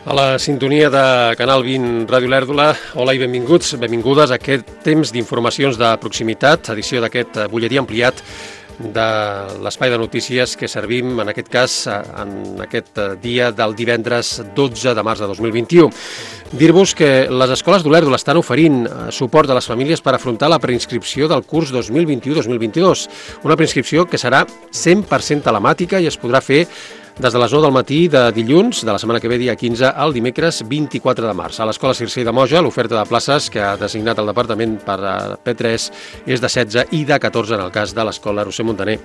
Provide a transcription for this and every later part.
A la sintonia de Canal 20 Ràdio Lèrdula, hola i benvinguts, benvingudes a aquest temps d'informacions de proximitat, edició d'aquest butlletí ampliat de l'espai de notícies que servim, en aquest cas, en aquest dia del divendres 12 de març de 2021. Dir-vos que les escoles d'Olèrdula estan oferint suport a les famílies per afrontar la preinscripció del curs 2021-2022, una preinscripció que serà 100% telemàtica i es podrà fer des de les 9 del matí de dilluns de la setmana que ve, dia 15, al dimecres 24 de març. A l'Escola Circei de Moja, l'oferta de places que ha designat el departament per a P3 és de 16 i de 14 en el cas de l'Escola Roser Montaner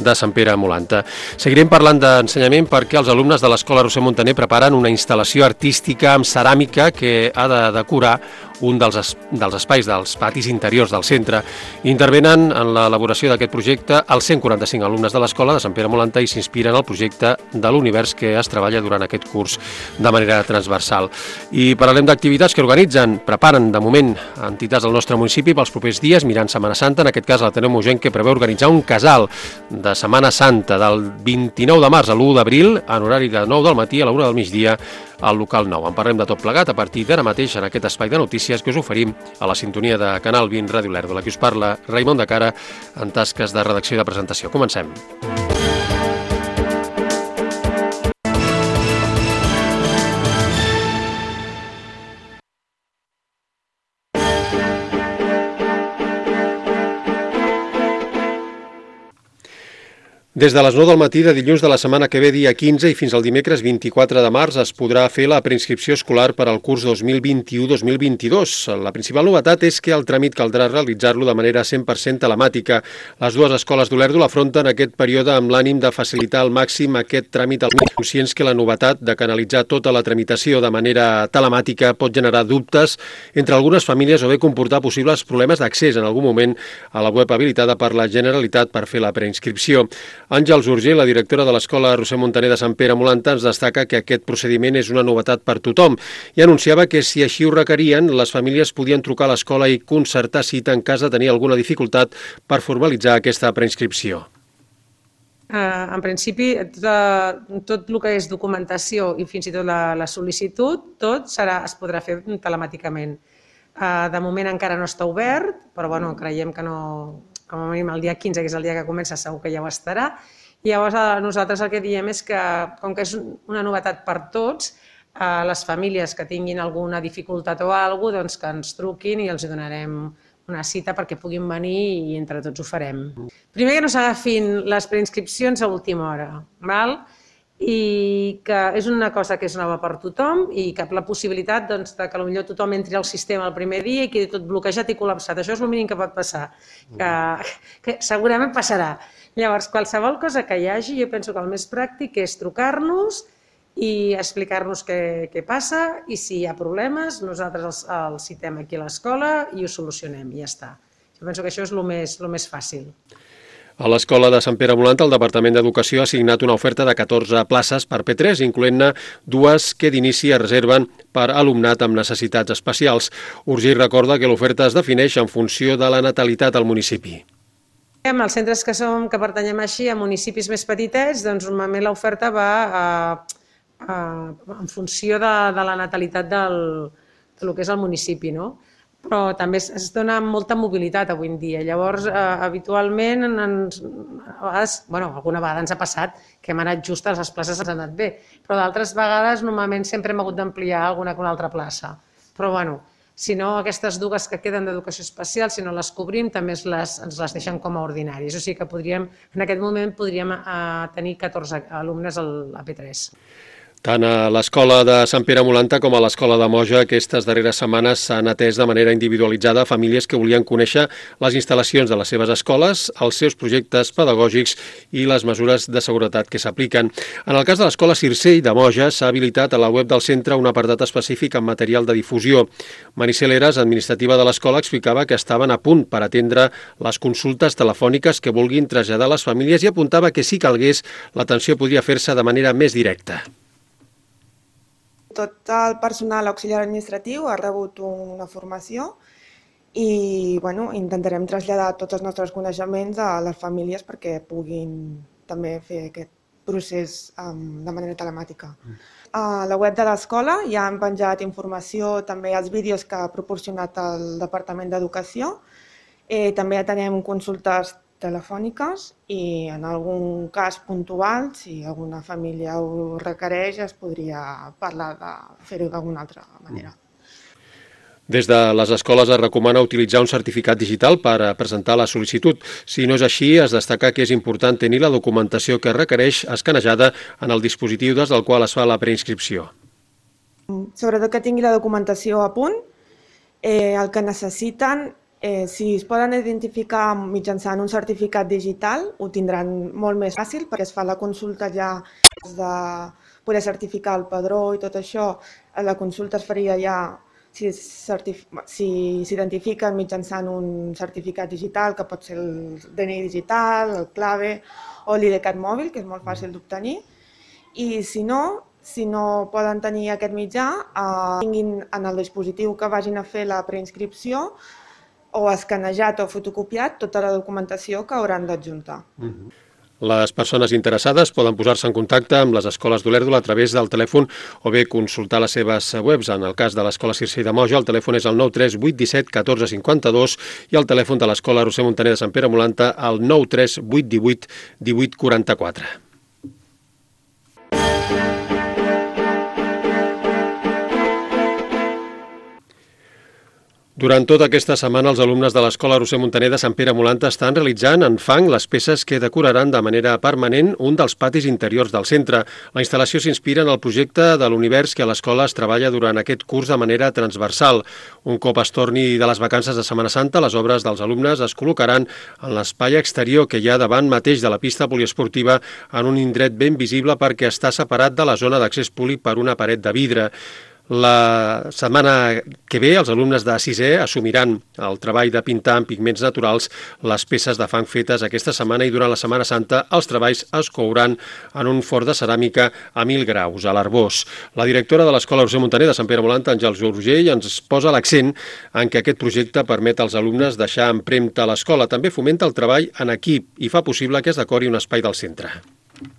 de Sant Pere Molanta. Seguirem parlant d'ensenyament perquè els alumnes de l'Escola Roser Montaner preparen una instal·lació artística amb ceràmica que ha de decorar un dels espais dels patis interiors del centre. Intervenen en l'elaboració d'aquest projecte els 145 alumnes de l'Escola de Sant Pere Molanta i s'inspiren al projecte de l'univers que es treballa durant aquest curs de manera transversal. I parlarem d'activitats que organitzen, preparen de moment entitats del nostre municipi pels propers dies, mirant Setmana Santa, en aquest cas l'Ateneu Mogenc, que preveu organitzar un casal de Setmana Santa del 29 de març a l'1 d'abril, en horari de 9 del matí a la 1 del migdia, al local 9. En parlem de tot plegat a partir d'ara mateix en aquest espai de notícies que us oferim a la sintonia de Canal 20 Ràdio Lèrdula. Aquí us parla Raimon de Cara en tasques de redacció i de presentació. Comencem. Des de les 9 del matí de dilluns de la setmana que ve, dia 15, i fins al dimecres 24 de març es podrà fer la preinscripció escolar per al curs 2021-2022. La principal novetat és que el tràmit caldrà realitzar-lo de manera 100% telemàtica. Les dues escoles d'Olèrdula afronten aquest període amb l'ànim de facilitar al màxim aquest tràmit, conscients que la novetat de canalitzar tota la tramitació de manera telemàtica pot generar dubtes entre algunes famílies o bé comportar possibles problemes d'accés en algun moment a la web habilitada per la Generalitat per fer la preinscripció. Àngels Urgell, la directora de l'Escola Roser Montaner de Sant Pere Molanta, ens destaca que aquest procediment és una novetat per tothom i anunciava que si així ho requerien, les famílies podien trucar a l'escola i concertar cita en cas de tenir alguna dificultat per formalitzar aquesta preinscripció. En principi, tot el que és documentació i fins i tot la sol·licitud, tot es podrà fer telemàticament. De moment encara no està obert, però creiem que no... com a mínim el dia 15, que és el dia que comença, segur que ja ho estarà. I llavors nosaltres el que diem és que, com que és una novetat per tots, les famílies que tinguin alguna dificultat o alguna cosa, que ens truquin i els donarem una cita perquè puguin venir i entre tots ho farem. Primer que no s'agafin les preinscripcions a última hora, val? I que és una cosa que és nova per tothom i que la possibilitat que potser tothom entri al sistema el primer dia i quedi tot bloquejat i col·lapsat. Això és el mínim que pot passar, que segurament passarà. Llavors, qualsevol cosa que hi hagi, jo penso que el més pràctic és trucar-nos i explicar-nos què passa i si hi ha problemes, nosaltres els citem aquí a l'escola i ho solucionem i ja està. Jo penso que això és el més fàcil. A l'Escola de Sant Pere Molanta, el Departament d'Educació ha assignat una oferta de 14 places per P3, incloent-ne dues que d'inici es reserven per alumnat amb necessitats especials. Urgell recorda que l'oferta es defineix en funció de la natalitat al municipi. Els centres que pertanyem així a municipis més petitets, doncs normalment l'oferta va en funció de la natalitat del que és el municipi, no? Però també es dona molta mobilitat avui en dia. Llavors, habitualment, alguna vegada ens ha passat que hem anat just a les places, ens ha anat bé, però d'altres vegades normalment sempre hem hagut d'ampliar alguna altra plaça. Però, si no, aquestes dues que queden d'educació especial, si no les cobrim, també ens les deixen com a ordinaris. O sigui que en aquest moment podríem tenir 14 alumnes a P3. Tant a l'Escola de Sant Pere Molanta com a l'Escola de Moja aquestes darreres setmanes s'han atès de manera individualitzada famílies que volien conèixer les instal·lacions de les seves escoles, els seus projectes pedagògics i les mesures de seguretat que s'apliquen. En el cas de l'Escola Circei de Moja s'ha habilitat a la web del centre un apartat específic amb material de difusió. Maricel Eras, administrativa de l'escola, explicava que estaven a punt per atendre les consultes telefòniques que vulguin traslladar a les famílies i apuntava que si calgués l'atenció podria fer-se de manera més directa. Tot el personal auxiliar administratiu ha rebut una formació i intentarem traslladar tots els nostres coneixements a les famílies perquè puguin també fer aquest procés de manera telemàtica. A la web de l'escola ja han penjat informació, també els vídeos que ha proporcionat el Departament d'Educació. També atenem consultes telefòniques i en algun cas puntual, si alguna família ho requereix, es podria parlar de fer-ho d'alguna altra manera. Des de les escoles es recomana utilitzar un certificat digital per presentar la sol·licitud. Si no és així, es destaca que és important tenir la documentació que es requereix escanejada en el dispositiu des del qual es fa la preinscripció. Sobretot que tingui la documentació a punt, el que necessiten, si es poden identificar mitjançant un certificat digital, ho tindran molt més fàcil perquè es fa la consulta ja de poder certificar el padró i tot això. La consulta es faria ja si s'identifiquen mitjançant un certificat digital, que pot ser el DNI digital, el clave o l'IDCAT mòbil, que és molt fàcil d'obtenir. I si no poden tenir aquest mitjà, tinguin en el dispositiu que vagin a fer la preinscripció o escanejat o fotocopiat tota la documentació que hauran d'adjuntar. Les persones interessades poden posar-se en contacte amb les escoles d'Olèrdola a través del telèfon o bé consultar les seves webs. En el cas de l'Escola Circell de Moja, el telèfon és el 93817 1452 i el telèfon de l'Escola Roser Muntaner de Sant Pere Molanta el 93818 1844. Durant tota aquesta setmana, els alumnes de l'Escola Roser Muntaner de Sant Pere Molanta estan realitzant en fang les peces que decoraran de manera permanent un dels patis interiors del centre. La instal·lació s'inspira en el projecte de l'univers que a l'escola es treballa durant aquest curs de manera transversal. Un cop es torni de les vacances de Setmana Santa, les obres dels alumnes es col·locaran en l'espai exterior que hi ha davant mateix de la pista poliesportiva en un indret ben visible perquè està separat de la zona d'accés públic per una paret de vidre. La setmana que ve, els alumnes de 6è assumiran el treball de pintar amb pigments naturals les peces de fang fetes aquesta setmana i durant la Setmana Santa els treballs es couran en un forn de ceràmica a 1.000 graus, a l'Arbós. La directora de l'Escola Roser Muntaner de Sant Pere Molanta, Àngels Urgell, ens posa l'accent en que aquest projecte permet als alumnes deixar empremta a l'escola. També fomenta el treball en equip i fa possible que es decori un espai del centre.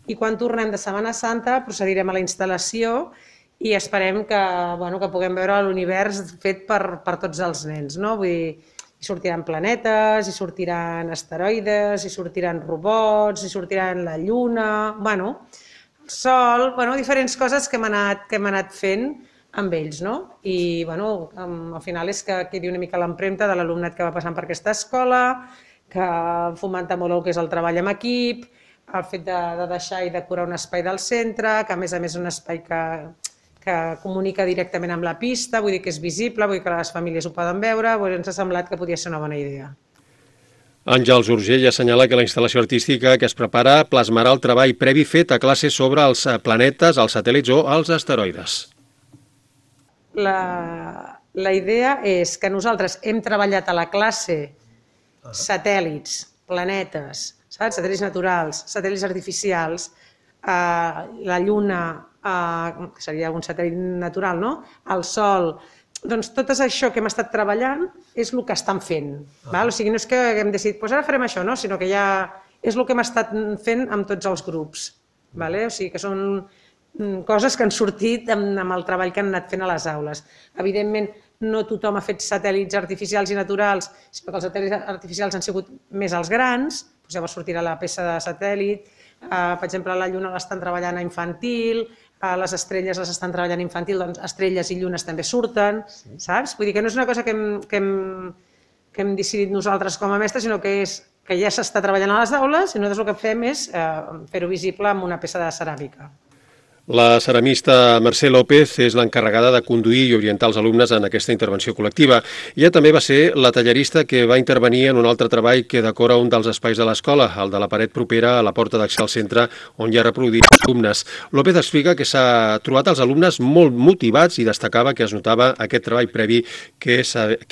I quan tornem de Setmana Santa procedirem a la instal·lació i esperem que puguem veure l'univers fet per tots els nens. Vull dir, hi sortiran planetes, hi sortiran asteroides, hi sortiran robots, hi sortiran la lluna, el sol, diferents coses que hem anat fent amb ells. I al final és que quedi una mica l'empremta de l'alumnat que va passant per aquesta escola, que fomenta molt el que és el treball en equip, el fet de deixar i decorar un espai del centre, que a més és un espai que comunica directament amb la pista, vull dir que és visible, vull dir que les famílies ho poden veure, ens ha semblat que podia ser una bona idea. Àngels Urgell assenyala que la instal·lació artística que es prepara plasmarà el treball previ fet a classe sobre els planetes, els satèl·lits o els asteroides. La idea és que nosaltres hem treballat a la classe satèl·lits, planetes, satèl·lits naturals, satèl·lits artificials, la Lluna, que seria un satèl·lit natural, el Sol. Doncs tot això que hem estat treballant és el que estan fent. O sigui, no és que haguem decidit, ara farem això, sinó que ja és el que hem estat fent amb tots els grups. O sigui, que són coses que han sortit amb el treball que han anat fent a les aules. Evidentment, no tothom ha fet satèl·lits artificials i naturals, sinó que els satèl·lits artificials han sigut més els grans, llavors sortirà la peça de satèl·lit. Per exemple, la Lluna l'estan treballant a infantil, les estrelles les estan treballant a infantil, doncs estrelles i llunes també surten, saps? Vull dir que no és una cosa que hem decidit nosaltres com a mestres, sinó que ja s'està treballant a les aules i nosaltres el que fem és fer-ho visible amb una peça de ceràmica. La ceramista Mercè López és l'encarregada de conduir i orientar els alumnes en aquesta intervenció col·lectiva. Ella també va ser la tallerista que va intervenir en un altre treball que decora un dels espais de l'escola, el de la paret propera a la porta d'accés al centre on hi ha reproduïts els alumnes. López explica que s'ha trobat els alumnes molt motivats i destacava que es notava aquest treball previ que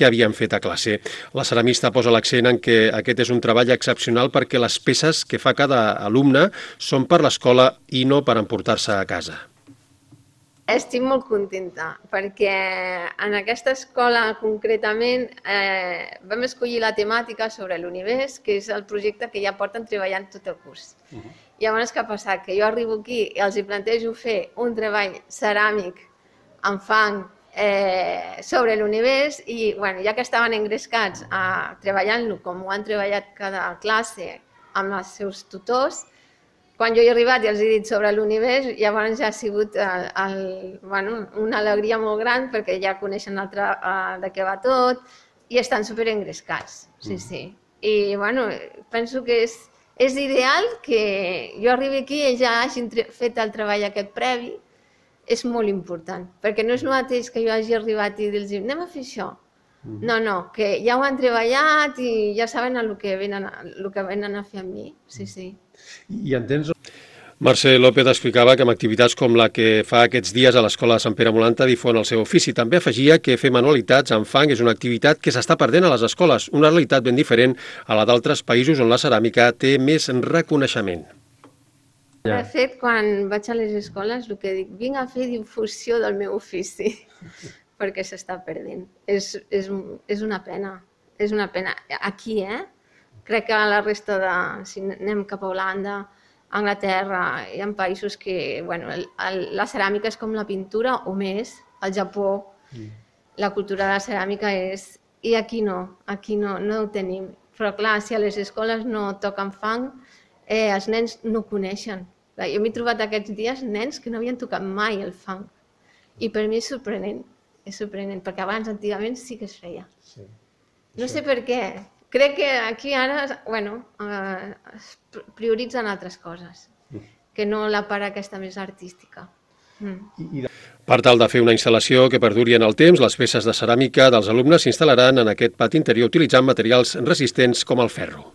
havien fet a classe. La ceramista posa l'accent en que aquest és un treball excepcional perquè les peces que fa cada alumne són per l'escola i no per emportar-se a casa. Estic molt contenta perquè en aquesta escola concretament vam escollir la temàtica sobre l'univers, que és el projecte que ja porten treballant tot el curs. Llavors, què ha passat? Que jo arribo aquí i els hi plantejo fer un treball ceràmic amb fang sobre l'univers i, bueno, ja que estaven engrescats treballant-lo com ho han treballat cada classe amb els seus tutors, quan jo he arribat i els he dit sobre l'univers, llavors ja ha sigut una alegria molt gran perquè ja coneixen de què va tot i estan superengrescats, sí. I penso que és ideal que jo arribi aquí i ja hagin fet el treball aquest previ, és molt important, perquè no és el mateix que jo hagi arribat i dir-los anem a fer això. No, que ja ho han treballat i ja saben el que venen a fer amb mi, sí. I entens? Mercè López explicava que amb activitats com la que fa aquests dies a l'Escola de Sant Pere Molanta difon el seu ofici. També afegia que fer manualitats en fang és una activitat que s'està perdent a les escoles, una realitat ben diferent a la d'altres països on la ceràmica té més reconeixement. De fet, quan vaig a les escoles, el que dic, vinc a fer difusió del meu ofici, perquè s'està perdent. És una pena, Aquí, crec que a la resta si anem cap a Holanda, Anglaterra, hi ha països que la ceràmica és com la pintura o més, al Japó la cultura de la ceràmica és... I aquí no ho tenim. Però clar, si a les escoles no toquen fang, els nens no ho coneixen. Jo m'he trobat aquests dies nens que no havien tocat mai el fang. I per mi és sorprenent, perquè abans, antigament, sí que es feia. No sé per què. Crec que aquí ara es prioritzen altres coses, que no la part aquesta més artística. Per tal de fer una instal·lació que perduri en el temps, les peces de ceràmica dels alumnes s'instal·laran en aquest pati interior utilitzant materials resistents com el ferro.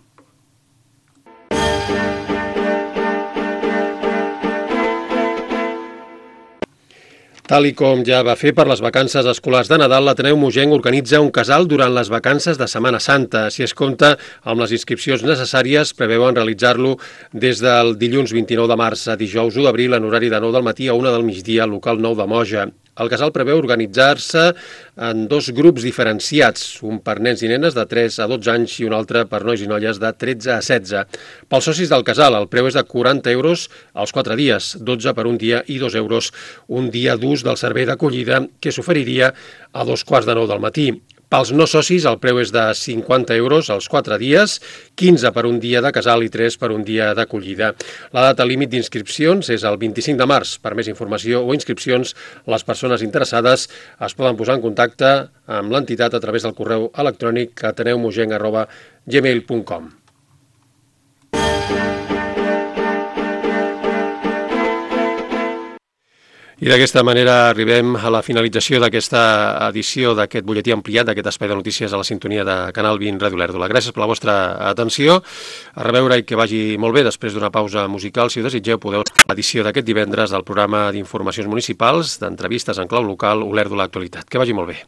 Tal i com ja va fer per les vacances escolars de Nadal, l'Ateneu Mogenc organitza un casal durant les vacances de Setmana Santa. Si es compta amb les inscripcions necessàries, preveuen realitzar-lo des del dilluns 29 de març a dijous 1 d'abril en horari de 9 del matí a 1 del migdia al local 9 de Moja. El casal preveu organitzar-se en 2 grups diferenciats, un per nens i nenes de 3 a 12 anys i un altre per nois i noies de 13 a 16. Pels socis del casal, el preu és de 40 euros als 4 dies, 12 per un dia i 2 euros un dia d'ús del servei d'acollida que s'oferiria a 2:15 del matí. Pels no socis, el preu és de 50 euros als 4 dies, 15 per un dia de casal i 3 per un dia d'acollida. La data límit d'inscripcions és el 25 de març. Per més informació o inscripcions, les persones interessades es poden posar en contacte amb l'entitat a través del correu electrònic ateneumogenc@gmail.com. I d'aquesta manera arribem a la finalització d'aquesta edició d'aquest butlletí ampliat, d'aquest espai de notícies a la sintonia de Canal 20 Ràdio Lèrdula. Gràcies per la vostra atenció. A reveure i que vagi molt bé després d'una pausa musical. Si ho desitgeu, podeu l'edició d'aquest divendres del programa d'informacions municipals, d'entrevistes en clau local, Olèrdola Actualitat. Que vagi molt bé.